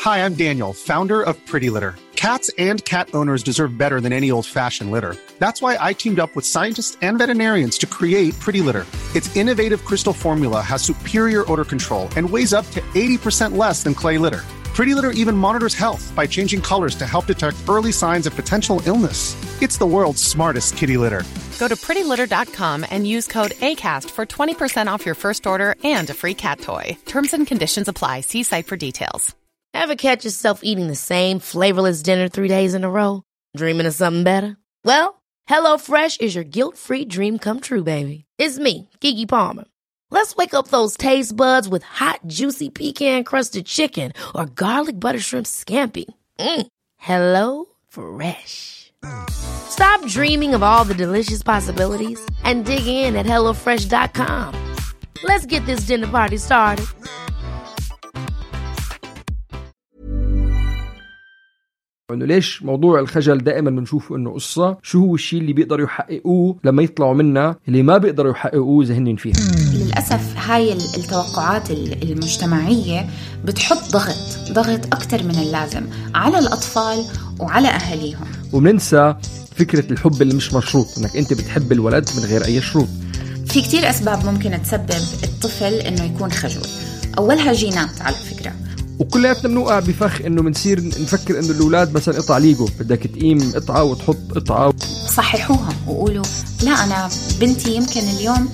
Hi, I'm Daniel, founder of Pretty Litter. Cats and cat owners deserve better than any old-fashioned litter. That's why I teamed up with scientists and veterinarians to create Pretty Litter. Its innovative crystal formula has superior odor control and weighs up to 80% less than clay litter. Pretty Litter even monitors health by changing colors to help detect early signs of potential illness. It's the world's smartest kitty litter. Go to prettylitter.com and use code ACAST for 20% off your first order and a free cat toy. Terms and conditions apply. See site for details. Ever catch yourself eating the same flavorless dinner 3 days in a row? Dreaming of something better? Well, HelloFresh is your guilt-free dream come true, baby. It's me, Keke Palmer. Let's wake up those taste buds with hot, juicy pecan-crusted chicken or garlic butter shrimp scampi. Hello Fresh. Stop dreaming of all the delicious possibilities and dig in at HelloFresh.com. Let's get this dinner party started. إنه ليش موضوع الخجل دائما بنشوفه إنه قصة شو هو الشيء اللي بيقدروا يحققوه لما يطلعوا منها اللي ما بيقدروا يحققوه ذهنين فيها. للأسف هاي التوقعات المجتمعية بتحط ضغط أكتر من اللازم على الأطفال وعلى أهاليهم، وبننسى فكرة الحب اللي مش مشروط، إنك أنت بتحب الولد من غير أي شروط. في كتير أسباب ممكن تسبب الطفل إنه يكون خجول. أولها جينات على فكرة، وكلياتنا بنوقع بفخ انه بنصير نفكر انه الاولاد مثلا قطع ليجو، بدك تقيم قطعه وتحط قطعه. صححوها وقولوا لا انا بنتي يمكن اليوم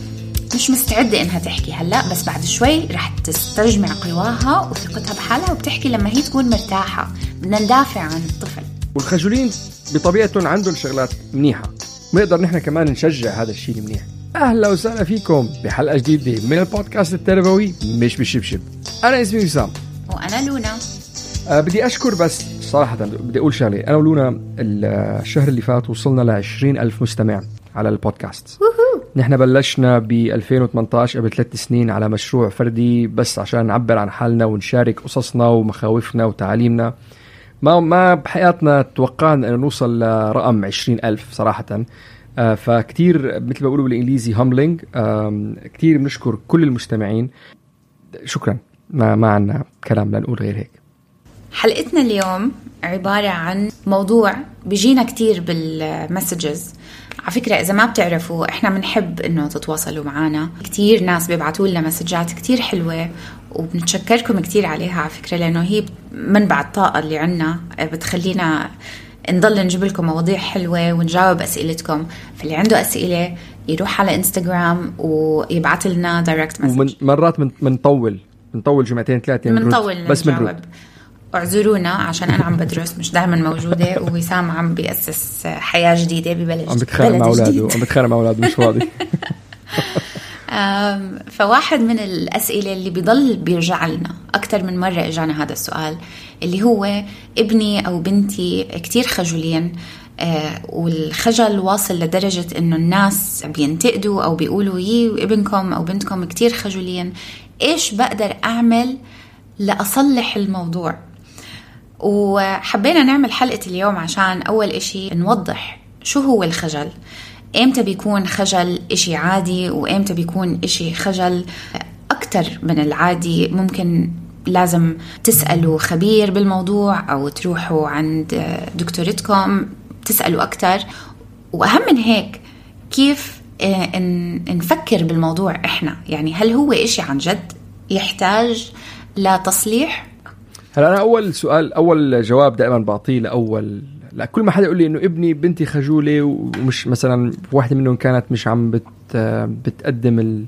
مش مستعده انها تحكي هلا، بس بعد شوي رح تستجمع قواها وثقتها بحالها وبتحكي لما هي تكون مرتاحه. بدنا ندافع عن الطفل. والخجولين بطبيعتهم عندهم شغلات منيحه، ونقدر نحن كمان نشجع هذا الشيء المنيح. اهلا وسهلا فيكم بحلقه جديده من البودكاست التربوي مش بالشبشب. انا اسمي وسام وأنا لونا. بدي أشكر، بس صراحة بدي أقول شغلة. أنا ولونا الشهر اللي فات وصلنا 20,000 مستمع على البودكاست. نحن بلشنا ب 2018 قبل 3 سنين على مشروع فردي بس عشان نعبر عن حالنا ونشارك قصصنا ومخاوفنا وتعاليمنا. ما بحياتنا توقعنا أن نوصل لرقم 20,000 صراحة. فكتير مثل ما بقولوا بالإنجليزي humbling. كتير بنشكر كل المستمعين. شكرا. ما عنا كلام لنقول غير هيك. حلقتنا اليوم عبارة عن موضوع بيجينا كتير بالمسجز. على فكرة إذا ما بتعرفوا إحنا بنحب إنه تتواصلوا معنا. كتير ناس بيبعتوا لنا مسجات كتير حلوة وبنتشكركم كتير عليها على فكرة، لأنه هي منبع الطاقة اللي عنا بتخلينا نضل نجيب لكم مواضيع حلوة ونجاوب أسئلتكم. فاللي عنده أسئلة يروح على إنستغرام ويبعت لنا دايركت مسج. مرات بنطول جمعتين 3 بس بنجاوب. اعذرونا عشان أنا عم بدرس مش دائما موجودة، ووسام عم بيأسس حياة جديدة ببلد عم بتخانق مع أولاده مش فاضي. فواحد من الأسئلة اللي بيضل بيرجع لنا أكتر من مرة إجانا هذا السؤال، اللي هو ابني أو بنتي كتير خجولين، والخجل واصل لدرجة إنه الناس بينتقدوا أو بيقولوا ابنكم أو بنتكم كتير خجولين، إيش بقدر أعمل لأصلح الموضوع؟ وحبينا نعمل حلقة اليوم عشان أول إشي نوضح شو هو الخجل، إمتى بيكون خجل إشي عادي وإمتى بيكون إشي خجل أكتر من العادي. ممكن لازم تسألوا خبير بالموضوع أو تروحوا عند دكتورتكم تسألوا أكتر. وأهم من هيك كيف نفكر بالموضوع إحنا، يعني هل هو إشي عن جد يحتاج لتصليح؟ هلا أنا أول جواب دائما بعطيه لا كل ما حدا يقول لي إنه ابني بنتي خجولة ومش مثلا واحدة منهم كانت مش عم بتقدم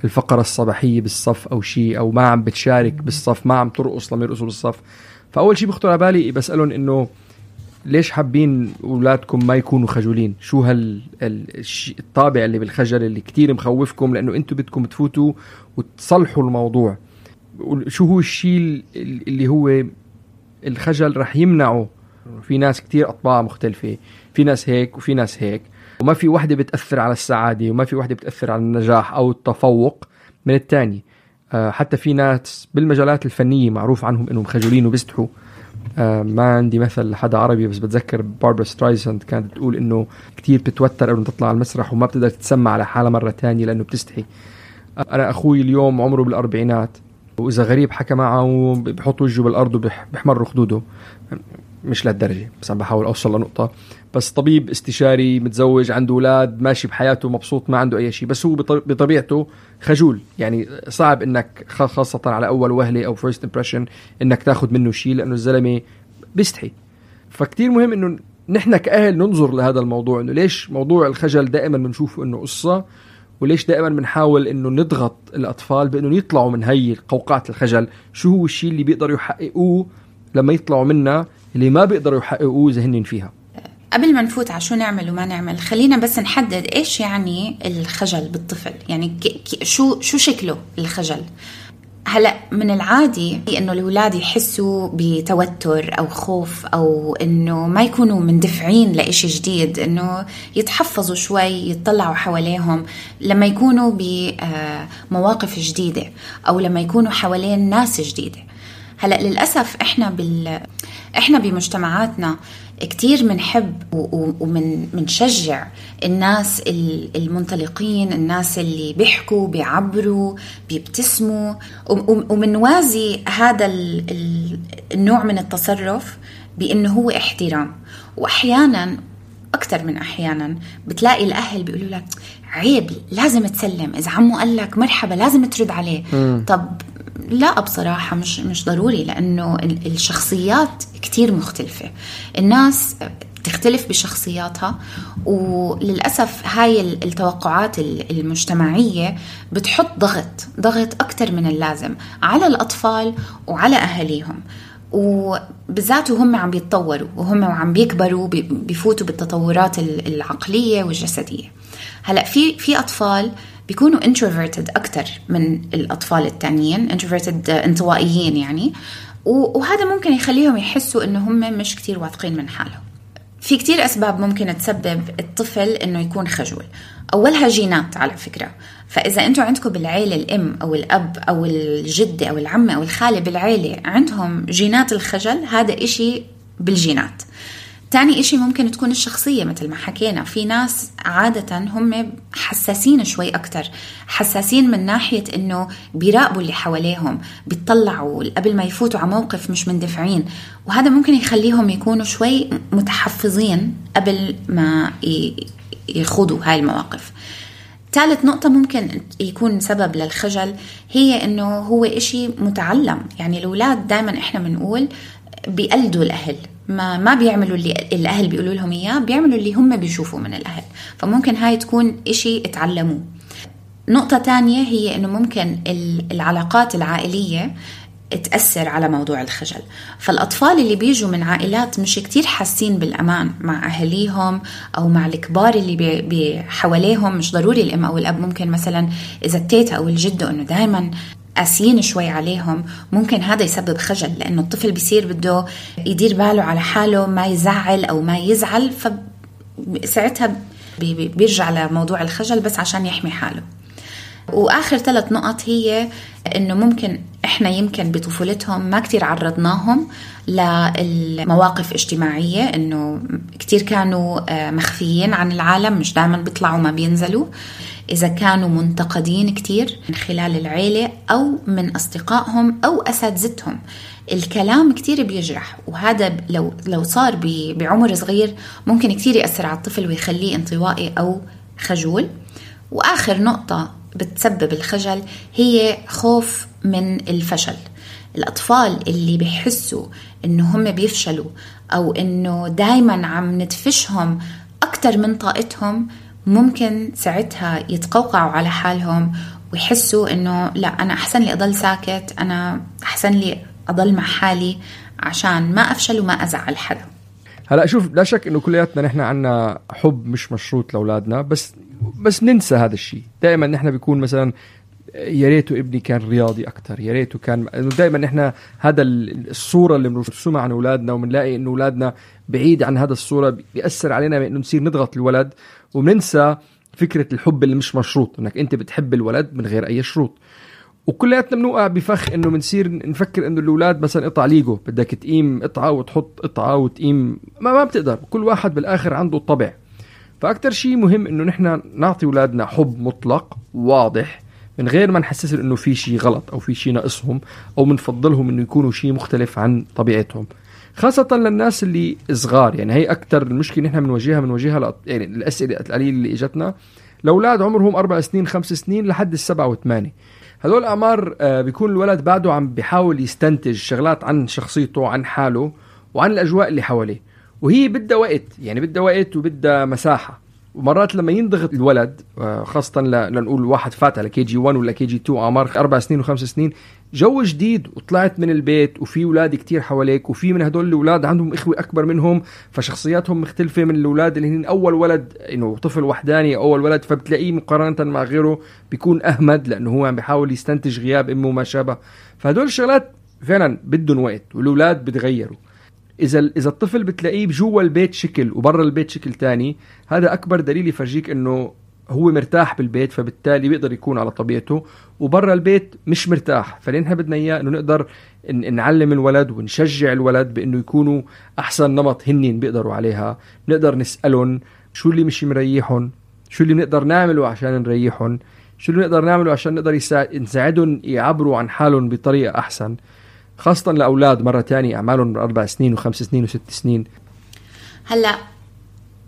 الفقرة الصباحية بالصف أو شيء، أو ما عم بتشارك بالصف، ما عم ترقص لما يرقصوا بالصف. فأول شيء بخطر على بالي بسألهم إنه ليش حابين أولادكم ما يكونوا خجولين؟ شو الطابع اللي بالخجل اللي كتير مخوفكم، لأنه أنتوا بدكم تفوتوا وتصلحوا الموضوع. شو هو الشيء اللي هو الخجل رح يمنعه؟ في ناس كتير أطباع مختلفة، في ناس هيك وفي ناس هيك، وما في واحدة بتأثر على السعادة وما في واحدة بتأثر على النجاح أو التفوق من التاني. حتى في ناس بالمجالات الفنية معروف عنهم إنهم خجولين وبيستحوا. ما عندي مثل حدا عربي بس بتذكر باربرا سترايساند كانت تقول إنه كتير بتتوتر إنه تطلع على المسرح وما بتقدر تتسمع على حالها مرة تانية لأنه بتستحي. أنا أخوي اليوم عمره بالأربعينات، وإذا غريب حكى معه بيحط وجهه بالأرض وبيحمر خدوده. مش لهالدرجة، بس عم بحاول أوصل لنقطة. بس طبيب استشاري متزوج عنده أولاد ماشي بحياته مبسوط ما عنده أي شيء، بس هو بطبيعته خجول. يعني صعب إنك خاصة على أول وهلة أو first impression إنك تاخد منه شيء، لأنه الزلمة بيستحي. فكتير مهم إنه نحن كأهل ننظر لهذا الموضوع، إنه ليش موضوع الخجل دائما بنشوفه إنه قصة، وليش دائما بنحاول إنه نضغط الأطفال بإنه يطلعوا من هاي قوقعة الخجل. شو هو الشيء اللي بيقدروا يحققوه لما يطلعوا منها، اللي ما بيقدروا يحققوه إذا هنين فيها؟ قبل ما نفوت على شو نعمل وما نعمل، خلينا بس نحدد إيش يعني الخجل بالطفل. يعني شو شكله الخجل؟ هلأ من العادي إنه الأولاد يحسوا بتوتر أو خوف، أو إنه ما يكونوا مندفعين لإشي جديد، إنه يتحفظوا شوي، يتطلعوا حواليهم لما يكونوا بمواقف جديدة أو لما يكونوا حوالين ناس جديدة. هلأ للأسف إحنا بمجتمعاتنا كتير منحب ومنشجع الناس المنطلقين، الناس اللي بيحكوا بيعبروا بيبتسموا، ومنوازي هذا النوع من التصرف بأنه هو احترام. وأحيانا أكتر من أحيانا بتلاقي الأهل بيقولوا لك عيب لازم تسلم، إذا عمو قال لك مرحبا لازم ترد عليه. طب لا، بصراحة مش ضروري، لأنه الشخصيات كتير مختلفة، الناس تختلف بشخصياتها، وللأسف هاي التوقعات المجتمعية بتحط ضغط أكتر من اللازم على الأطفال وعلى أهاليهم، وبالذات هم عم بيتطوروا وهم عم بيكبروا بيفوتوا بالتطورات العقلية والجسدية. هلأ في أطفال بيكونوا introverted أكتر من الأطفال التانيين، introverted انطوائيين يعني، وهذا ممكن يخليهم يحسوا إنه هم مش كتير واثقين من حالهم. في كتير أسباب ممكن تسبب الطفل إنه يكون خجول. أولها جينات على فكرة، فإذا أنتوا عندكم بالعيلة الأم أو الأب أو الجدة أو العمة أو الخالة بالعيلة عندهم جينات الخجل، هذا إشي بالجينات. تاني إشي ممكن تكون الشخصية، مثل ما حكينا في ناس عادة هم حساسين شوي أكتر، حساسين من ناحية إنه بيراقبوا اللي حواليهم، بيطلعوا قبل ما يفوتوا على موقف، مش مندفعين، وهذا ممكن يخليهم يكونوا شوي متحفظين قبل ما يخوضوا هاي المواقف. ثالث نقطة ممكن يكون سبب للخجل هي إنه هو إشي متعلم. يعني الأولاد دائما إحنا بنقول بيقلدوا الأهل، ما بيعملوا اللي الأهل بيقولوا لهم إياه، بيعملوا اللي هم بيشوفوا من الأهل، فممكن هاي تكون إشي اتعلموه. نقطة تانية هي إنه ممكن العلاقات العائلية تأثر على موضوع الخجل. فالأطفال اللي بيجوا من عائلات مش كتير حاسين بالأمان مع أهليهم أو مع الكبار اللي بحواليهم، مش ضروري الأم أو الأب، ممكن مثلا إذا التيتا أو الجدة إنه دايما قاسيين شوي عليهم، ممكن هذا يسبب خجل، لأنه الطفل بيصير بده يدير باله على حاله، ما يزعل أو ما يزعل، فساعتها بيرجع لموضوع الخجل بس عشان يحمي حاله. وآخر 3 نقط هي إنه ممكن إحنا يمكن بطفولتهم ما كتير عرضناهم للمواقف اجتماعية، إنه كتير كانوا مخفيين عن العالم، مش دائما بيطلعوا ما بينزلوا. إذا كانوا منتقدين كتير من خلال العيلة أو من أصدقائهم أو أساتذتهم، الكلام كتير بيجرح، وهذا لو صار بعمر صغير ممكن كتير يأثر على الطفل ويخليه انطوائي أو خجول. وآخر نقطة بتسبب الخجل هي خوف من الفشل. الأطفال اللي بيحسوا إنه هم بيفشلوا أو إنه دايما عم ندفشهم أكتر من طاقتهم، ممكن ساعتها يتقوقعوا على حالهم ويحسوا إنه لا، أنا أحسن لي أضل ساكت، أنا أحسن لي أضل مع حالي عشان ما أفشل وما أزعل حدا. هلأ شوف، لا شك إنه كلياتنا نحن عنا حب مش مشروط لأولادنا، بس ننسى هذا الشيء. دائما نحن بيكون مثلا يا ريته ابني كان رياضي أكتر، يا ريته كان، دائما نحن هذا الصورة اللي بنرسمها عن أولادنا، وبنلاقي إنه أولادنا بعيد عن هذا الصورة، بيأثر علينا إنه نصير نضغط الولد، وبننسى فكرة الحب اللي مش مشروط، إنك أنت بتحب الولد من غير أي شروط. وكلياتنا بنوقع بفخ إنه بنصير نفكر إنه الأولاد مثلا قطع ليجو، بدك تقيم قطعة وتحط قطعة وتقيم، ما بتقدر، كل واحد بالآخر عنده الطبع. فأكتر شيء مهم إنه نحن نعطي أولادنا حب مطلق واضح، من غير ما نحسسهم إنه في شيء غلط أو في شيء ناقصهم أو منفضلهم إنه يكونوا شيء مختلف عن طبيعتهم، خاصة للناس اللي صغار. يعني هي أكتر المشكلة نحن بنواجهها يعني الأسئلة القليلة اللي إجتنا لأولاد عمرهم 4 سنين 5 سنين لحد 7 و8. هذول الأعمار بيكون الولد بعده عم بيحاول يستنتج شغلات عن شخصيته، عن حاله، وعن الأجواء اللي حواليه، وهي بدها وقت، يعني بدها وقت وبدها مساحة. ومرات لما ينضغط الولد خاصة لنقول واحد فات على KG1 ولا KG2 أعمار 4 سنين و5 سنين، جو جديد وطلعت من البيت وفي أولاد كتير حواليك، وفي من هدول الأولاد عندهم إخوة أكبر منهم فشخصياتهم مختلفة من الأولاد اللي هن أول ولد، إنه طفل وحداني أول ولد، فبتلاقيه مقارنة مع غيره بيكون أهمد لأنه هو عم بيحاول يستنتج غياب أمه وما شابه. فهدول الشغلات فعلا بدهم وقت، والأولاد بتغيروا. إذا الطفل بتلاقيه بجوا البيت شكل وبرا البيت شكل تاني، هذا أكبر دليل يفرجيك إنه هو مرتاح بالبيت، فبالتالي بيقدر يكون على طبيعته، وبرا البيت مش مرتاح. فلين بدنا إياه إنه نقدر نعلم الولد ونشجع الولد بإنه يكونوا أحسن نمط هنين بيقدروا عليها. نقدر نسألهم شو اللي مش مريحهم، شو اللي نقدر نعمله عشان نريحهم، شو اللي نقدر نعمله عشان نقدر نساعدهم يعبروا عن حالهم بطريقة أحسن، خاصة لأولاد مرة تانية أعمالهم 4 سنين و5 سنين و6 سنين. هلأ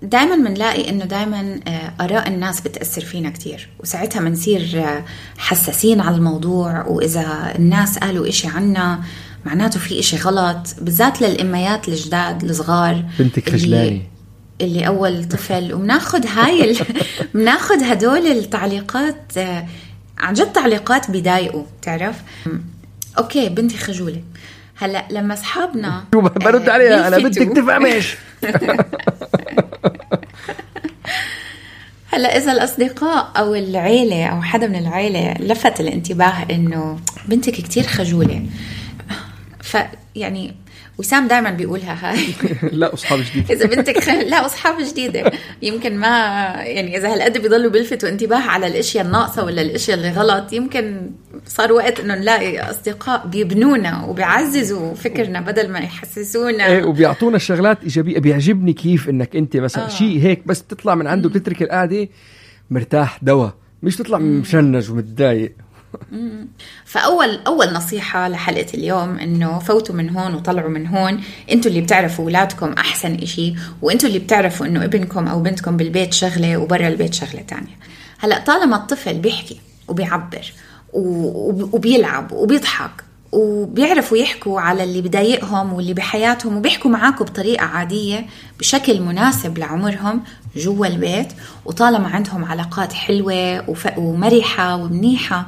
دايما منلاقي إنه دايما آراء الناس بتأثر فينا كتير، وساعتها منصير حساسين على الموضوع، وإذا الناس قالوا إشي عنا معناته في إشي غلط، بالذات للإميات الجداد الصغار. بنتك خجلاني اللي أول طفل، ومناخد مناخد هدول التعليقات عن جد تعليقات بيضايقوا، تعرف. أوكي بنتي خجولة. هلأ لما أصحابنا برد عليها أنا بدك تفهميش. هلأ إذا الأصدقاء أو العيلة أو حدا من العيلة لفت الانتباه إنه بنتك كتير خجولة، يعني وسام دائما بيقولها هاي لا أصحاب جديدة. إذا بنتك لا أصحاب جديدة يمكن ما يعني إذا هالقد بيضلوا بيلفتوا انتباه على الأشياء الناقصة ولا الأشياء اللي غلط، يمكن صار وقت إنه نلاقي أصدقاء بيبنونا وبيعززوا فكرنا بدل ما يحسسونا. إيه، وبيعطونا الشغلات إيجابية. بيعجبني كيف إنك أنت مثلا شيء هيك بس تطلع من عنده بتترك القعدة مرتاح دوا، مش تطلع مشنج ومتضايق. فأول نصيحة لحلقة اليوم إنه فوتوا من هون وطلعوا من هون. أنتوا اللي بتعرفوا أولادكم أحسن إشي، وأنتوا اللي بتعرفوا إنه ابنكم أو بنتكم بالبيت شغلة وبرا البيت شغلة تانية. هلأ طالما الطفل بيحكي وبيعبر وبيلعب وبيضحك وبيعرفوا يحكوا على اللي بضايقهم واللي بحياتهم، وبيحكوا معاكم بطريقة عادية بشكل مناسب لعمرهم جوا البيت، وطالما عندهم علاقات حلوة ومرحة ومنيحة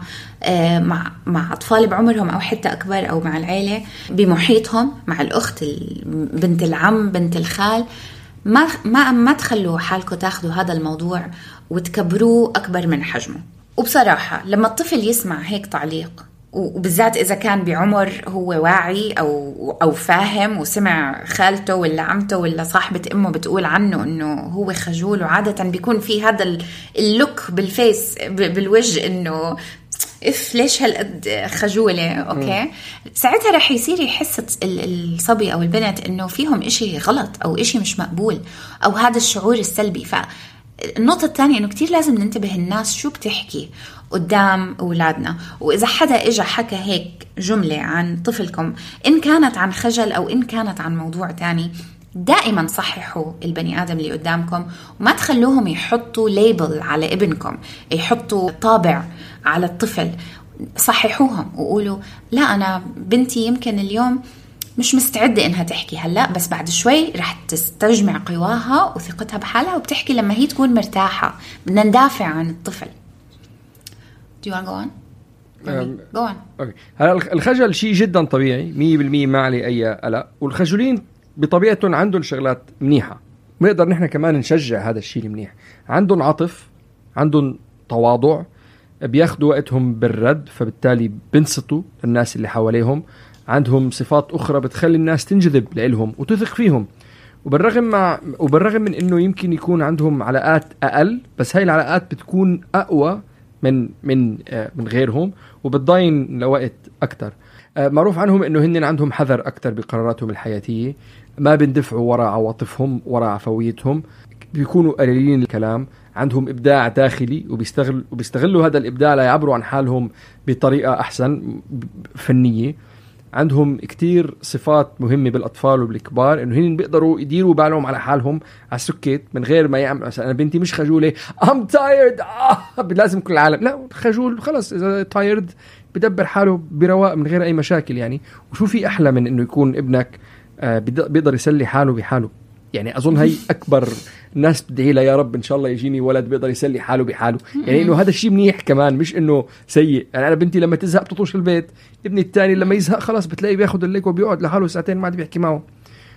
مع أطفال بعمرهم أو حتى أكبر، أو مع العيلة بمحيطهم، مع الأخت، بنت العم، بنت الخال، ما تخلوا حالكم تاخدوا هذا الموضوع وتكبروه أكبر من حجمه. وبصراحة لما الطفل يسمع هيك تعليق، وبالذات إذا كان بعمر هو واعي أو فاهم، وسمع خالته ولا عمته ولا صاحبة أمه بتقول عنه إنه هو خجول، وعادة بيكون في هذا اللوك بالفيس بالوجه إنه ليش هالقد خجولة. أوكي ساعتها رح يصير يحس الصبي أو البنت إنه فيهم إشي غلط أو إشي مش مقبول، أو هذا الشعور السلبي. فالنقطة الثانية إنه كتير لازم ننتبه الناس شو بتحكي قدام أولادنا. وإذا حدا إجا حكى هيك جملة عن طفلكم، إن كانت عن خجل أو إن كانت عن موضوع تاني، دائما صححوا البني آدم اللي قدامكم، وما تخلوهم يحطوا ليبل على ابنكم، يحطوا طابع على الطفل. صححوهم وقولوا لا أنا بنتي يمكن اليوم مش مستعدة إنها تحكي هلأ، بس بعد شوي رح تستجمع قواها وثقتها بحالها وبتحكي لما هي تكون مرتاحة. بدنا ندافع عن الطفل. Do you want to go on? Go on. Okay. هلا الخجل شيء جدا طبيعي 100%، ما عليه أي قلق. والخجولين بطبيعتهم عندهم شغلات منيحة، بنقدر نحن كمان نشجع هذا الشيء المنيح. عندهم عطف، عندهم تواضع، بياخدوا وقتهم بالرد، فبالتالي بنصتوا الناس اللي حواليهم. عندهم صفات أخرى بتخلي الناس تنجذب لهم وتثق فيهم. وبالرغم من إنه يمكن يكون عندهم علاقات أقل، بس هاي العلاقات بتكون أقوى من غيرهم، وبتضاين لوقت أكتر. معروف عنهم إنه هن عندهم حذر أكتر بقراراتهم الحياتية، ما بندفعوا وراء عواطفهم وراء عفويتهم، بيكونوا قليلين الكلام، عندهم إبداع داخلي وبيستغلوا هذا الإبداع ليعبروا عن حالهم بطريقة أحسن فنية. عندهم كتير صفات مهمة بالأطفال وبالكبار، إنه هن بيقدروا يديروا بالهم على حالهم على السكت من غير ما يعمل. مثلا أنا بنتي مش خجولة I'm tired لازم كل العالم، لا خجول خلص إذا tired بدبر حاله برواق من غير أي مشاكل يعني. وشو في أحلى من إنه يكون ابنك بيقدر يسلي حاله بحاله يعني. أظن هي أكبر الناس بدعي لها يا رب إن شاء الله يجيني ولد بيقدر يسلي حاله بحاله يعني، إنه هذا الشيء منيح كمان مش إنه سيء يعني. أنا بنتي لما تزهق بتطوش البيت، ابني الثاني لما يزهق خلاص بتلاقيه بياخد الليك وبيقعد لحاله ساعتين ما عاد بيحكي معه.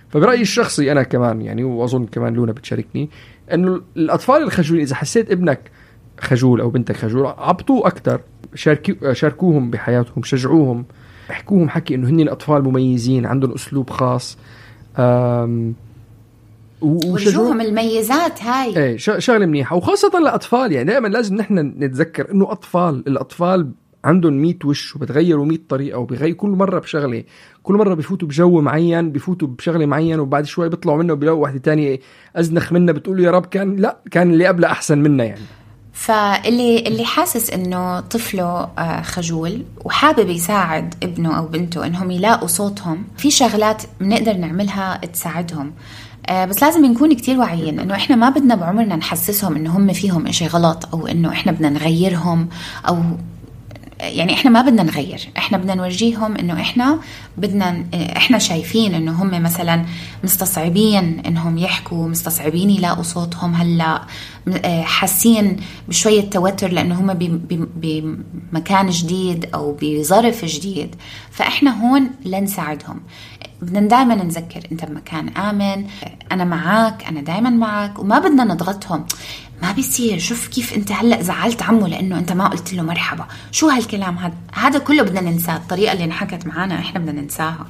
فبرأيي الشخصي أنا كمان يعني، وأظن كمان لونا بتشاركني، إنه الأطفال الخجولين إذا حسيت ابنك خجول أو بنتك خجول عبطوه أكتر، شاركوهم بحياتهم، شجعوهم، احكوهم حكي إنه هني الأطفال مميزين عندهم أسلوب خاص، وشوهم الميزات هاي. ايه شغله منيحه، وخاصه الاطفال يعني. دائما لازم نحن نتذكر انه الاطفال عندهم 100 وش وبتغيروا 100 طريقه، وبيغير كل مره بشغله، كل مره بيفوتوا بجو معين، بيفوتوا بشغله معين، وبعد شوي بيطلعوا منه وبيلاقوا واحده تانية ازنخ منها، بتقولوا يا رب كان اللي قبله احسن منها يعني. فاللي حاسس انه طفله خجول وحابب يساعد ابنه او بنته انهم يلاقوا صوتهم، في شغلات بنقدر نعملها تساعدهم. بس لازم نكون كتير واعيين انه احنا ما بدنا بعمرنا نحسسهم انه هم فيهم اشي غلط، او انه احنا بدنا نغيرهم، او يعني احنا ما بدنا نغير، احنا بدنا نورجيهم انه احنا شايفين انه هم مثلا مستصعبين انهم يحكوا، مستصعبين يلاقوا صوتهم هلا، حاسين بشوية توتر لانه هم بمكان جديد او بظرف جديد. فاحنا هون لنساعدهم. بدنا دائما نذكر انت بمكان آمن، انا معك، انا دائما معك، وما بدنا نضغطهم. ما بيصير، شوف كيف انت هلأ زعلت عمو لانه انت ما قلت له مرحبا، شو هالكلام هذا كله بدنا ننساه. الطريقة اللي انحكت معانا احنا بدنا ننساها.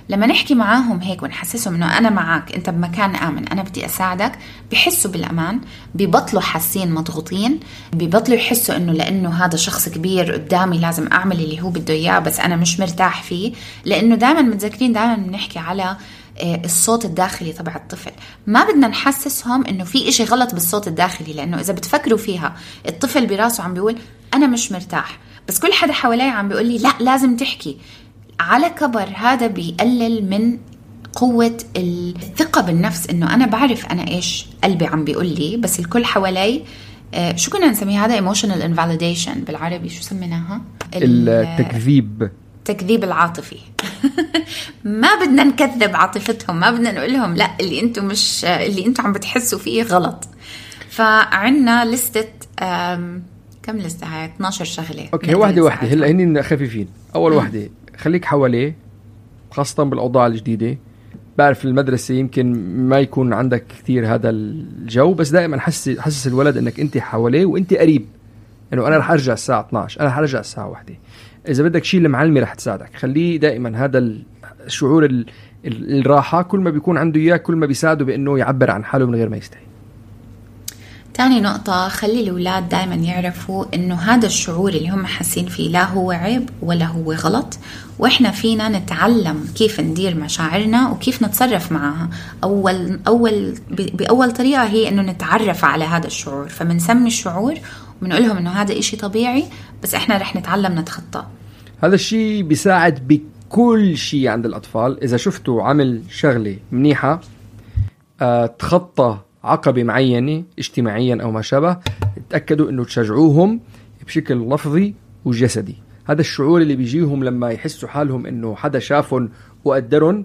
لما نحكي معاهم هيك ونحسسهم انه انا معك، انت بمكان آمن، انا بدي اساعدك، بيحسوا بالامان، بيبطلوا حاسين مضغوطين، بيبطلوا يحسوا انه لانه هذا شخص كبير قدامي لازم اعمل اللي هو بده اياه بس انا مش مرتاح فيه. لانه دائما متذكرين، دائما بنحكي على الصوت الداخلي تبع الطفل. ما بدنا نحسسهم انه في اشي غلط بالصوت الداخلي، لانه اذا بتفكروا فيها الطفل براسه عم بيقول انا مش مرتاح، بس كل حدا حواليه عم بيقول لي لا لازم تحكي. على كبر هذا بيقلل من قوة الثقة بالنفس، انه انا بعرف انا ايش قلبي عم بيقول لي، بس الكل حوالي شو كنا نسميه هذا؟ emotional invalidation بالعربي، شو سميناها؟ التكذيب العاطفي. ما بدنا نكذب عاطفتهم، ما بدنا نقول لهم لا اللي انتم عم بتحسوا فيه غلط. فعنا لستة كم لستة هاي؟ 12 شغلة. اوكي، واحدة هلا هني خفيفين. اول واحدة خليك حواليه، خاصة بالاوضاع الجديدة. بعرف المدرسة يمكن ما يكون عندك كثير هذا الجو، بس دائما حسس الولد انك انت حواليه وانت قريب، انه انا رح ارجع الساعة 12، انا رح ارجع الساعة 1. إذا بدك شيء المعلمة رح تساعدك. خليه دائما هذا الشعور الراحة، كل ما بيكون عنده إياه كل ما بيساعده بأنه يعبر عن حاله من غير ما يستحي. تاني نقطة، خلي الأولاد دائما يعرفوا إنه هذا الشعور اللي هم حاسين فيه لا هو عيب ولا هو غلط، وإحنا فينا نتعلم كيف ندير مشاعرنا وكيف نتصرف معها. بأول طريقة هي إنه نتعرف على هذا الشعور، فمنسمي الشعور ومنقولهم إنه هذا إشي طبيعي، بس إحنا رح نتعلم نتخطى. هذا الشيء بيساعد بكل شيء عند الأطفال. إذا شفتوا عمل شغلة منيحة تخطى عقبة معينة اجتماعيا أو ما شابه، تأكدوا أنه تشجعوهم بشكل لفظي وجسدي. هذا الشعور اللي بيجيهم لما يحسوا حالهم أنه حدا شافهم وقدرهم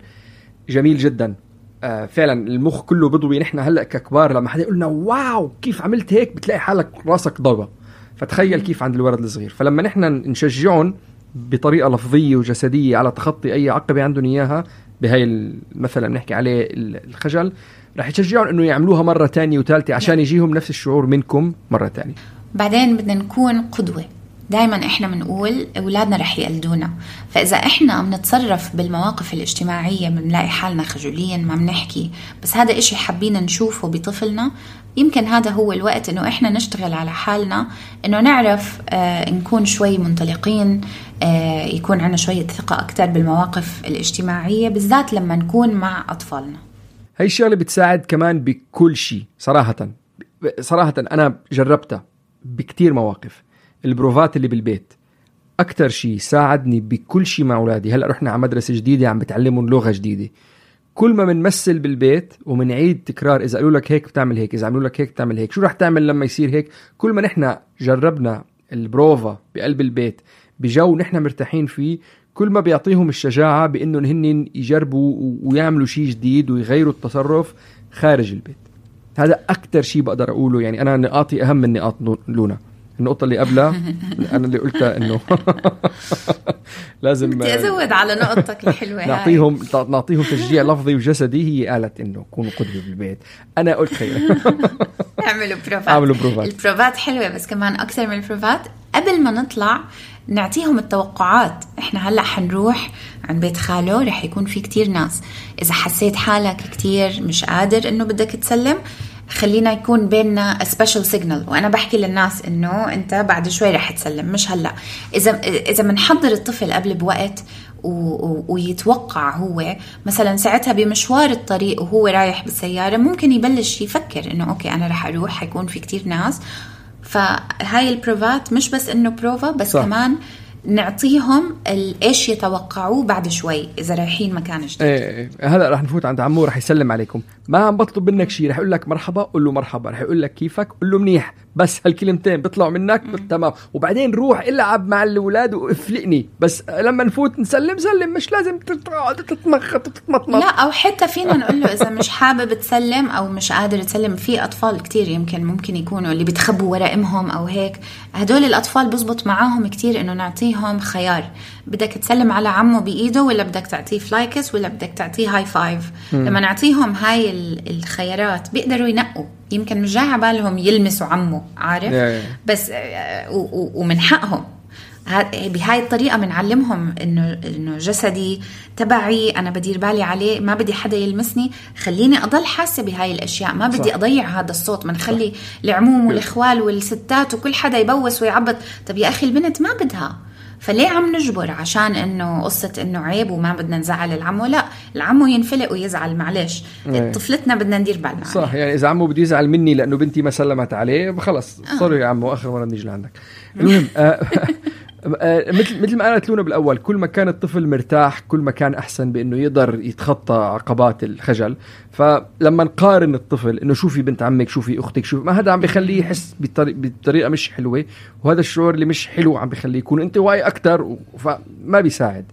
جميل جدا. فعلا المخ كله بضوي. نحن هلأ ككبار لما حدا يقولنا واو كيف عملت هيك، بتلاقي حالك راسك ضربة. فتخيل كيف عند الولد الصغير. فلما نحن نشجعهم بطريقة لفظية وجسدية على تخطي أي عقبة عندهم إياها، بهاي مثلا بنحكي عليه الخجل، رح يشجعون إنه يعملوها مرة تانية وثالثة عشان يجيهم نفس الشعور منكم مرة تانية. بعدين بدنا نكون قدوة. دايما إحنا بنقول أولادنا رح يقلدونا، فإذا إحنا بنتصرف بالمواقف الاجتماعية بنلاقي حالنا خجولين ما بنحكي، بس هذا إشي حابين نشوفه بطفلنا، يمكن هذا هو الوقت إنه إحنا نشتغل على حالنا، إنه نعرف نكون شوي منطلقين، يكون عنا شوية ثقة أكتر بالمواقف الاجتماعية، بالذات لما نكون مع أطفالنا. هاي الشغلة بتساعد كمان بكل شيء صراحة. صراحة أنا جربتها بكتير مواقف. البروفات اللي بالبيت أكتر شيء ساعدني بكل شيء مع أولادي. هلأ رحنا على مدرسة جديدة عم بتعلمون لغة جديدة، كل ما منمثل بالبيت ومنعيد تكرار، إذا قالوا لك هيك بتعمل هيك، إذا عملوا لك هيك بتعمل هيك، شو رح تعمل لما يصير هيك. كل ما نحن جربنا البروفا بقلب البيت بجو نحن مرتاحين فيه، كل ما بيعطيهم الشجاعة بأنه هن يجربوا ويعملوا شيء جديد ويغيروا التصرف خارج البيت. هذا أكتر شيء بقدر أقوله. يعني أنا نقاطي أهم من نقاط لونا. النقطة اللي قبلها أنا اللي قلتها إنه لازم بدي أزود على نقطتك الحلوة نعطيهم تشجيع لفظي وجسدي. هي قالت إنه كونوا قدوة بالبيت، أنا قلت خير اعملوا بروفات. البروفات حلوة، بس كمان أكثر من البروفات قبل ما نطلع نعطيهم التوقعات. إحنا هلأ حنروح عن بيت خاله، رح يكون في كتير ناس. إذا حسيت حالك كتير مش قادر إنه بدك تسلم، خلينا يكون بيننا special signal، وأنا بحكي للناس إنه أنت بعد شوي رح تسلم مش هلأ. إذا منحضر الطفل قبل بوقت ويتوقع هو مثلا ساعتها بمشوار الطريق وهو رايح بالسيارة، ممكن يبلش يفكر إنه أوكي أنا رح أروح، حيكون في كتير ناس. فهاي البروفات مش بس إنه بروفا، بس صح. كمان نعطيهم إيش يتوقعوه بعد شوي إذا رايحين مكان جديد. هلأ رح نفوت عند عمو، رح يسلم عليكم، ما عم بطلب منك شيء، رح يقول لك مرحبا قل له مرحبا، رح يقول لك كيفك قل له منيح، بس هالكلمتين بيطلعوا منك تمام. وبعدين روح العب مع الأولاد وافلقني، بس لما نفوت نسلم مش لازم تتمطمط. لا، أو حتى فينا نقول له إذا مش حابب تسلم أو مش قادر تسلم. في أطفال كتير ممكن يكونوا اللي بيتخبوا وراء أمهم أو هيك، هدول الأطفال بزبط معاهم كتير إنه نعطيهم خيار، بدك تسلم على عمه بإيده ولا بدك تعطيه فلايكس ولا بدك تعطيه هاي فايف. لما نعطيهم هاي الخيارات بيقدروا ينقوا. يمكن مش جاي على بالهم يلمسوا عمه، عارف؟ بس ومن حقهم. بهاي الطريقة بنعلمهم إنه جسدي تبعي، أنا بدير بالي عليه، ما بدي حدا يلمسني، خليني أضل حاسة بهاي الأشياء، ما بدي أضيع هذا الصوت. منخلي العموم والإخوال والستات وكل حدا يبوس ويعبط. طب يا أخي البنت ما بدها، فليه عم نجبر عشان إنه قصة إنه عيب وما بدنا نزعل العمو؟ لا، العمو ينفلق ويزعل، معلش طفلتنا بدنا ندير بالنا صح عليه. يعني إذا عمو بده يزعل مني لأنه بنتي ما سلمت عليه، خلص صار يا عمو آخر مرة نيجي لعندك. المهم مثل ما قالت لونا بالأول، كل ما كان الطفل مرتاح كل ما كان أحسن بأنه يقدر يتخطى عقبات الخجل. فلما نقارن الطفل إنه شوفي بنت عمك، شوفي أختك، شوفي، ما هذا عم بيخليه يحس بطريقة مش حلوة، وهذا الشعور اللي مش حلو عم بيخليه يكون انطوائي أكتر، فما بيساعد.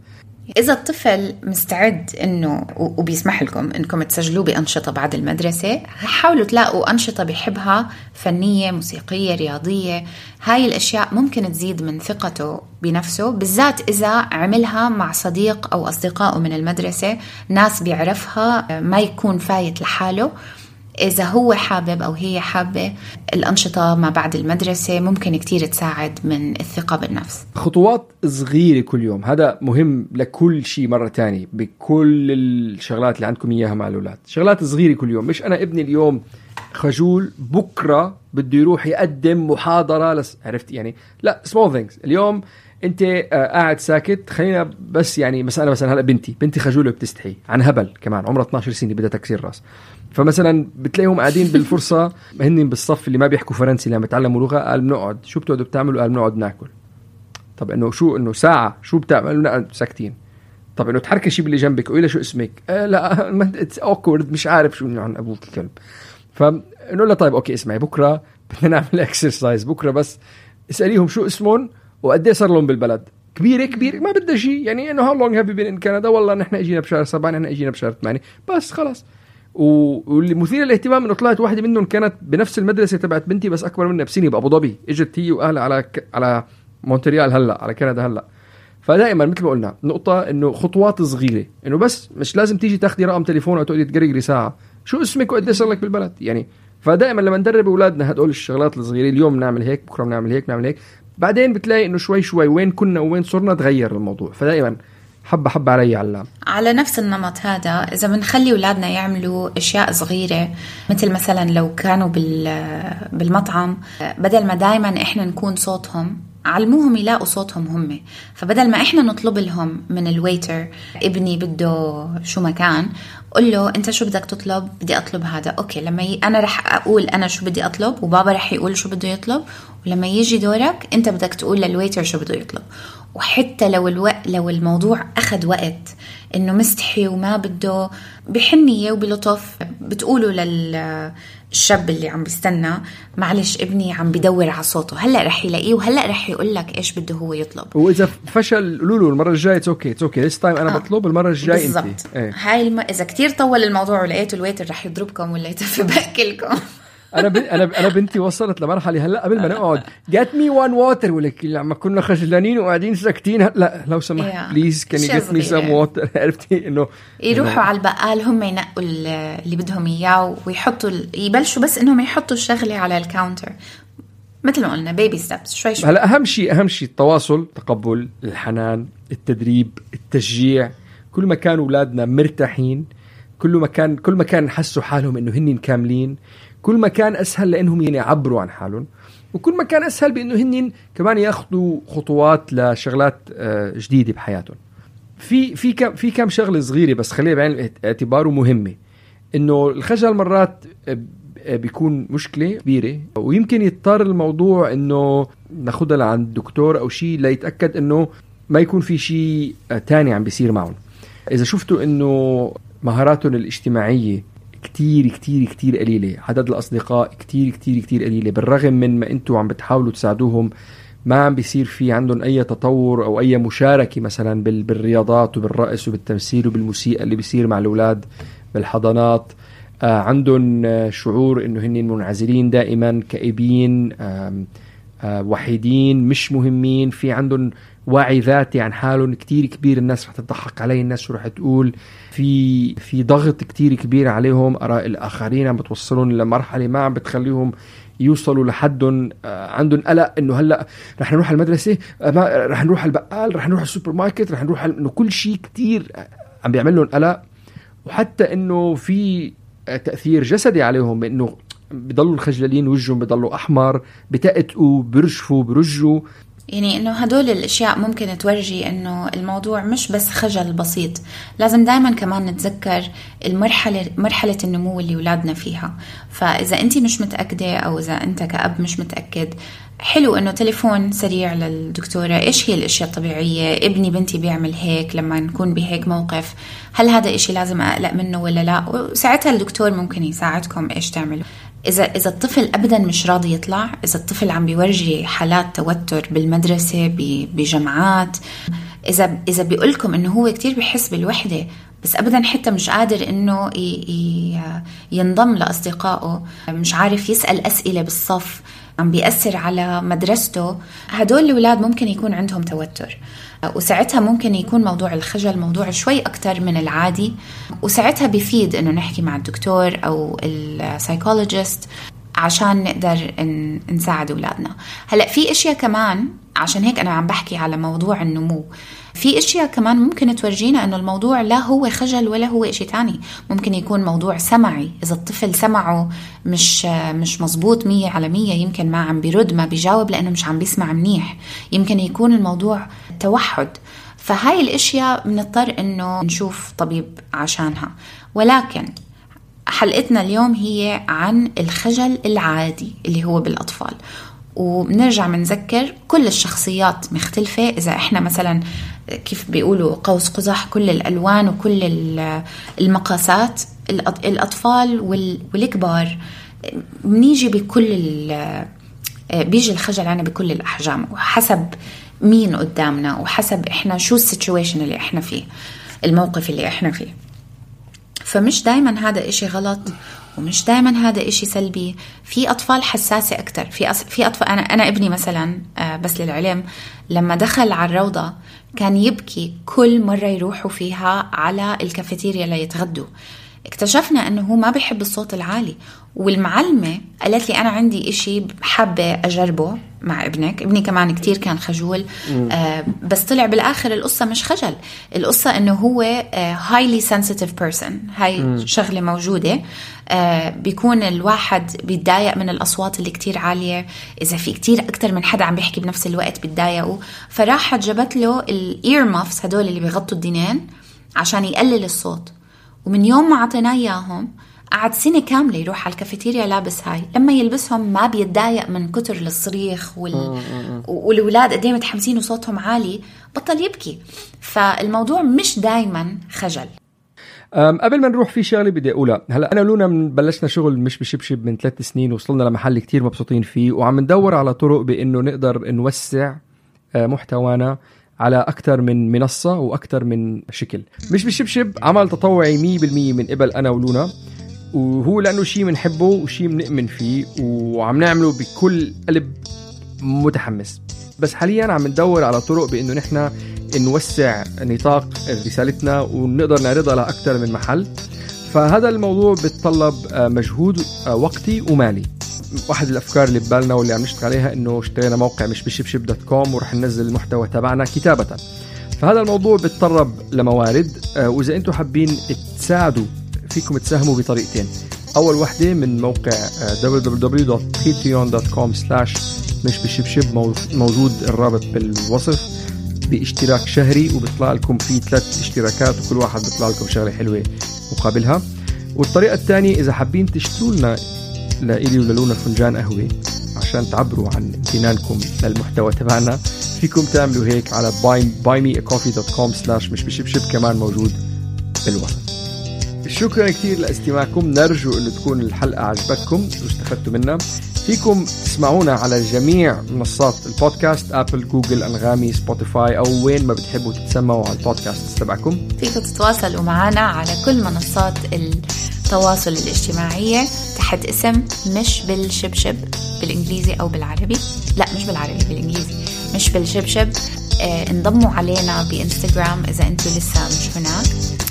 إذا الطفل مستعد إنه وبيسمح لكم إنكم تسجلوه بأنشطة بعد المدرسة، حاولوا تلاقوا أنشطة بيحبها، فنية، موسيقية، رياضية. هاي الأشياء ممكن تزيد من ثقته بنفسه، بالذات إذا عملها مع صديق أو أصدقائه من المدرسة، ناس بيعرفها، ما يكون فايت لحاله. إذا هو حابب أو هي حابة، الأنشطة ما بعد المدرسة ممكن كتير تساعد من الثقة بالنفس. خطوات صغيرة كل يوم، هذا مهم لكل شيء. مرة تانية بكل الشغلات اللي عندكم إياها مع الأولاد، شغلات صغيرة كل يوم. مش أنا ابني اليوم خجول، بكرة بده يروح يقدم محاضرة عرفت يعني؟ لا، small things. اليوم انت قاعد ساكت، خلينا بس يعني مثلا هلا بنتي خجوله بتستحي عن هبل، كمان عمرها 12 سنه بدها تكسير راس. فمثلا بتلاقيهم قاعدين بالفرصه هن بالصف اللي ما بيحكوا فرنسي لما بيتعلموا لغه، قال بنقعد. شو بتقعدوا بتعملوا؟ قال بنقعد ناكل. طب انه ساعه شو بتعملوا؟ ساكتين. طب انه تحركي شيء باللي جنبك، قولي شو اسمك؟ لا اتس اوكورد، مش عارف شو عن ابوك الكلب. فنقول له طيب اوكي اسمعي، بكره بدنا نعمل اكسرسايز، بكره بس اساليهم شو اسمهم وقديه صار لهم بالبلد. كبير ما بدها شيء، يعني انه how long have you been in Canada؟ والله نحن اجينا بشهر 7، نحن اجينا بشهر 8، بس خلاص. واللي مثير للاهتمام انه طلعت واحده منهم كانت بنفس المدرسه تبعت بنتي، بس اكبر منها بسنه، بابو ظبي. اجت هي واهلها على مونتريال هلا، على كندا هلا. فدائما مثل ما قلنا، نقطه انه خطوات صغيره، انه بس مش لازم تيجي تاخدي رقم تليفون او تقعدي تقرقري ساعه شو اسمك وقد صار لك بالبلد يعني. فدائما لما ندرب اولادنا هدول الشغلات الصغيره، اليوم نعمل هيك، بكره نعمل هيك، بعدين بتلاقي انه شوي وين كنا وين صرنا تغير الموضوع. فدائما حبة علي علام. على نفس النمط هذا، إذا بنخلي أولادنا يعملوا أشياء صغيرة، مثلا لو كانوا بالمطعم، بدل ما دايما إحنا نكون صوتهم علموهم يلاقوا صوتهم هم. فبدل ما إحنا نطلب لهم من الويتر ابني بده شو مكان، قل له أنت شو بدك تطلب؟ بدي أطلب هذا. أوكي، لما أنا رح أقول أنا شو بدي أطلب وبابا رح يقول شو بده يطلب، ولما يجي دورك أنت بدك تقول للويتر شو بده يطلب. وحتى لو الموضوع أخذ وقت إنه مستحي وما بده، بحنية وبلطف بتقولوا للشاب اللي عم بيستنى معلش ابني عم بدور على صوته، هلأ رح يلاقيه وهلأ رح يقول لك إيش بده هو يطلب. وإذا فشل قولوا المرة الجاية اوكي this time أنا بطلب، المرة الجاية بالضبط. انت هاي إذا كتير طول الموضوع ولقيته الويتر رح يضربكم ولا يتف بأكلكم. انا بنتي وصلت لمرحله هلا قبل ما نقعد get me one water، ولك لما كنا خجلانين وقاعدين ساكتين، لا لو سمحت بليز can you get me some water. عرفتي انه يروحوا على البقال هم ينقوا اللي بدهم اياه ويحطوا يبلشوا بس انهم يحطوا الشغله على الكاونتر مثل ما قلنا بيبي ستيبس شوي شوي. هلا اهم شيء التواصل، التقبل، الحنان، التدريب، التشجيع. كل ما كانوا اولادنا مرتاحين، كل ما كان حسوا حالهم انه هن كاملين، كل ما كان أسهل لأنهم يعبروا عن حالهم، وكل ما كان أسهل بأنه هن كمان ياخذوا خطوات لشغلات جديدة بحياتهم. في كم شغلة صغيرة بس خليها بعين الاعتبار ومهمة. إنه الخجل مرات بيكون مشكلة كبيرة، ويمكن يضطر الموضوع إنه ناخدها لعند الدكتور أو شيء ليتأكد إنه ما يكون في شيء تاني عم بيصير معهم. إذا شفتوا إنه مهاراتهم الاجتماعية كتير كتير كتير قليلة، عدد الأصدقاء كتير كتير كتير قليلة، بالرغم من ما أنتوا عم بتحاولوا تساعدوهم، ما عم بيصير في عندهم أي تطور أو أي مشاركة مثلا بالرياضات وبالرقص وبالتمثيل وبالموسيقى اللي بيصير مع الأولاد بالحضانات. عندهم شعور إنه هن منعزلين دائما، كئيبين، وحيدين، مش مهمين. في عندهم وعي ذاتي عن حالهم كتير كبير، الناس رح تضحك علي، الناس شو رح تقول. في ضغط كتير كبير عليهم، آراء الآخرين عم بتوصلون لمرحلة ما عم بتخليهم يوصلوا لحدهم. عندهم قلق إنه هلأ رح نروح المدرسة، رح نروح البقال، رح نروح السوبر ماركت، رح نروح إنه كل شيء كتير عم بيعمل لهم قلق. وحتى إنه في تأثير جسدي عليهم، إنه بيضلوا الخجلين، وجههم بيضلوا أحمر، بتقطقوا، برجوا. يعني إنه هدول الأشياء ممكن تورجي إنه الموضوع مش بس خجل بسيط. لازم دايما كمان نتذكر مرحلة النمو اللي أولادنا فيها. فإذا أنت مش متأكدة أو إذا أنت كأب مش متأكد، حلو إنه تليفون سريع للدكتورة، إيش هي الأشياء الطبيعية، ابني بنتي بيعمل هيك، لما نكون بهيك موقف هل هذا إشي لازم أقلق منه ولا لا، وساعتها الدكتور ممكن يساعدكم إيش تعملوا. إذا الطفل أبداً مش راضي يطلع، إذا الطفل عم بيورجي حالات توتر بالمدرسة بجامعات، إذا بيقولكم إنه هو كتير بيحس بالوحدة بس أبداً حتى مش قادر إنه ينضم لأصدقائه، مش عارف يسأل أسئلة بالصف، عم بيأثر على مدرسته، هدول الأولاد ممكن يكون عندهم توتر. وساعتها ممكن يكون موضوع الخجل موضوع شوي أكتر من العادي، وساعتها بيفيد إنه نحكي مع الدكتور أو السايكولوجيست عشان نقدر نساعد أولادنا. هلأ في إشياء كمان، عشان هيك أنا عم بحكي على موضوع النمو، في إشياء كمان ممكن تورجينا إنه الموضوع لا هو خجل ولا هو إشي تاني. ممكن يكون موضوع سمعي، إذا الطفل سمعه مش مزبوط 100%، يمكن ما عم بيرد، ما بيجاوب لأنه مش عم بيسمع منيح، يمكن يكون الموضوع توحد. فهاي الأشياء بنضطر إنه نشوف طبيب عشانها. ولكن حلقتنا اليوم هي عن الخجل العادي اللي هو بالأطفال، وبنرجع منذكر كل الشخصيات مختلفة. إذا إحنا مثلا كيف بيقولوا قوس قزح، كل الألوان وكل المقاسات، الأطفال والكبار، بنيجي بيجي الخجل عنا بكل الأحجام، وحسب مين قدامنا وحسب إحنا شو السيتويشن اللي إحنا فيه، الموقف اللي إحنا فيه. فمش دايما هذا إشي غلط ومش دايما هذا إشي سلبي. في أطفال حساسة أكتر، في أطفال، أنا ابني مثلا بس للعلم لما دخل على الروضة كان يبكي كل مرة يروحوا فيها على الكافيتيريا ليتغدوا. اكتشفنا أنه هو ما بيحب الصوت العالي. والمعلمة قالت لي أنا عندي إشي حابة أجربه مع ابنك. ابني كمان كتير كان خجول، بس طلع بالآخر القصة مش خجل، القصة أنه هو highly sensitive person. هاي شغلة موجودة. بيكون الواحد بيتضايق من الأصوات اللي كتير عالية، إذا في كتير أكتر من حدا عم بيحكي بنفس الوقت بيتضايقوا. فراحت جابت له الإير مافس، هدول اللي بيغطوا الدينين عشان يقلل الصوت. ومن يوم ما عطيناه إياهم قعد سنة كاملة يروح على الكافيتيريا لابس هاي. لما يلبسهم ما بيتضايق من كتر الصريخ والولاد قدام متحمسين وصوتهم عالي بطل يبكي. فالموضوع مش دايما خجل. قبل ما نروح في شغله بدي اقولها. هلا انا لونا بلشنا شغل مش بشبشب من 3 سنين، وصلنا لمحل كتير مبسوطين فيه، وعم ندور على طرق بانه نقدر نوسع محتوانا على أكثر من منصة وأكثر من شكل. مش بشبشب عمل تطوعي 100% من قبل أنا ولونا، وهو لأنه شيء منحبه وشيء منؤمن فيه وعم نعمله بكل قلب متحمس. بس حاليا عم ندور على طرق بأنه نحن نوسع نطاق رسالتنا ونقدر نعرضها لأكثر من محل. فهذا الموضوع بيتطلب مجهود وقتي ومالي. واحد الأفكار اللي ببالنا واللي عم نشتغل عليها إنه اشترينا موقع مش بشبشب.com ورح ننزل المحتوى تبعنا كتابة. فهذا الموضوع بيتطلب لموارد، وإذا أنتم حابين تساعدوا فيكم تساهموا بطريقتين. أول واحدة من موقع www.patreon.com/مش بشبشب، موجود الرابط بالوصف، باشتراك شهري وبيطلع لكم فيه 3 اشتراكات وكل واحد بيطلع لكم شغلة حلوة مقابلها. والطريقة الثانية إذا حابين تشتروا لنا لإلي وللونا فنجان قهوة عشان تعبروا عن امتنانكم للمحتوى تبعنا، فيكم تعملوا هيك على buymeacoffee.com/مش بشبشب، كمان موجود بالوصف. شكرا كتير لاستماعكم. نرجو أن تكون الحلقة عجبتكم واستفدتوا منها. فيكم تسمعونا على جميع منصات البودكاست، أبل، جوجل، أنغامي، سبوتيفاي، أو وين ما بتحبوا تتسمعوا على البودكاست تبعكم. فيكم تتواصلوا معنا على كل منصات التواصل الاجتماعية تحت اسم مش بالشبشب بالإنجليزي أو بالعربي. لا مش بالعربي، بالإنجليزي مش بالشبشب. انضموا علينا بإنستغرام إذا أنتوا لسه مش هناك،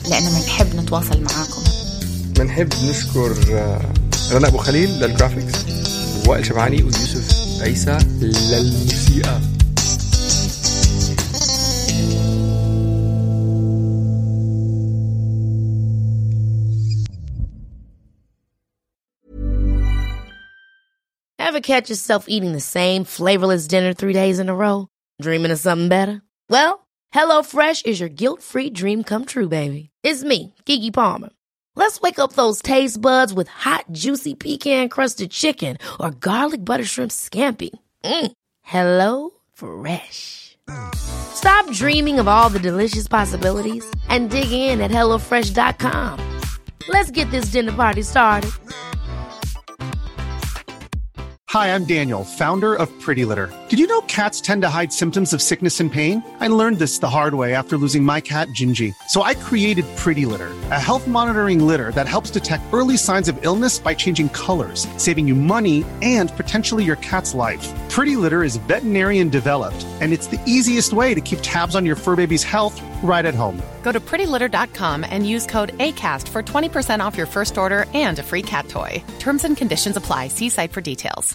لأنه بنحب نتواصل معاكم. بنحب نشكر رنا أبو خليل للجرافيكس، وائل شبعاني ويوسف عيسى للموسيقى. Ever catch yourself eating the same flavorless dinner 3 days in a row? Dreaming of something better? Well, HelloFresh is your guilt-free dream come true, baby. It's me, Keke Palmer. Let's wake up those taste buds with hot, juicy pecan-crusted chicken or garlic butter shrimp scampi. Hello Fresh. Stop dreaming of all the delicious possibilities and dig in at HelloFresh.com. Let's get this dinner party started. Hi, I'm Daniel, founder of Pretty Litter. Did you know cats tend to hide symptoms of sickness and pain? I learned this the hard way after losing my cat, Gingy. So I created Pretty Litter, a health monitoring litter that helps detect early signs of illness by changing colors, saving you money and potentially your cat's life. Pretty Litter is veterinarian developed, and it's the easiest way to keep tabs on your fur baby's health right at home. Go to prettylitter.com and use code ACAST for 20% off your first order and a free cat toy. Terms and conditions apply. See site for details.